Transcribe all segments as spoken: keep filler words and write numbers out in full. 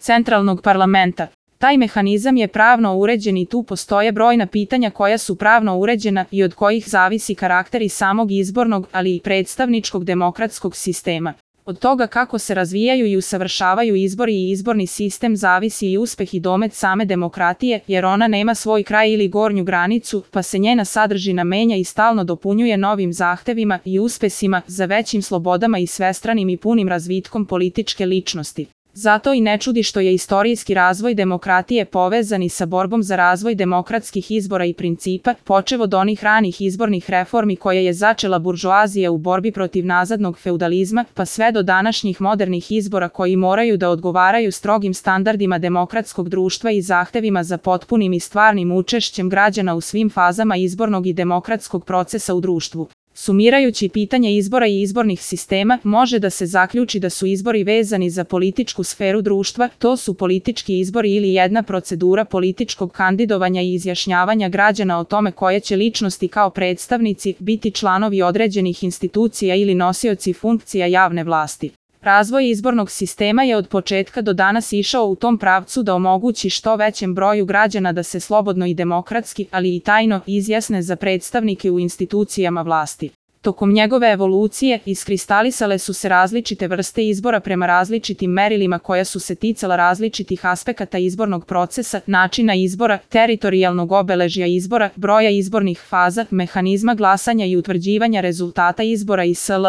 centralnog parlamenta. Taj mehanizam je pravno uređen i tu postoje brojna pitanja koja su pravno uređena i od kojih zavisi karakter i samog izbornog, ali i predstavničkog demokratskog sistema. Od toga kako se razvijaju i usavršavaju izbori i izborni sistem zavisi i uspeh i domet same demokratije, jer ona nema svoj kraj ili gornju granicu, pa se njena sadržina menja i stalno dopunjuje novim zahtevima i uspesima za većim slobodama i svestranim i punim razvitkom političke ličnosti. Zato i ne čudi što je istorijski razvoj demokratije povezan i sa borbom za razvoj demokratskih izbora i principa, počev od onih ranih izbornih reformi koje je začela buržoazija u borbi protiv nazadnog feudalizma, pa sve do današnjih modernih izbora koji moraju da odgovaraju strogim standardima demokratskog društva i zahtevima za potpunim i stvarnim učešćem građana u svim fazama izbornog i demokratskog procesa u društvu. Sumirajući pitanje izbora i izbornih sistema, može da se zaključi da su izbori vezani za političku sferu društva, to su politički izbori ili jedna procedura političkog kandidovanja i izjašnjavanja građana o tome koje će ličnosti kao predstavnici biti članovi određenih institucija ili nosioci funkcija javne vlasti. Razvoj izbornog sistema je od početka do danas išao u tom pravcu da omogući što većem broju građana da se slobodno i demokratski, ali i tajno, izjasne za predstavnike u institucijama vlasti. Tokom njegove evolucije iskristalisale su se različite vrste izbora prema različitim merilima koja su se ticala različitih aspekata izbornog procesa, načina izbora, teritorijalnog obeležja izbora, broja izbornih faza, mehanizma glasanja i utvrđivanja rezultata izbora i sl.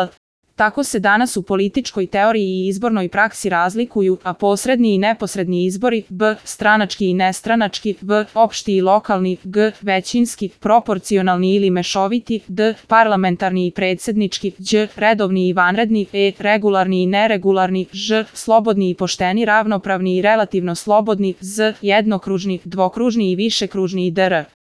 Tako se danas u političkoj teoriji i izbornoj praksi razlikuju, a posredni i neposredni izbori, b. stranački i nestranački, v. opšti i lokalni, g. većinski, proporcionalni ili mešoviti, d. parlamentarni i predsednički, đ. redovni i vanredni, e. regularni i neregularni, ž. slobodni i pošteni, ravnopravni i relativno slobodni, z. jednokružni, dvokružni i višekružni i dr.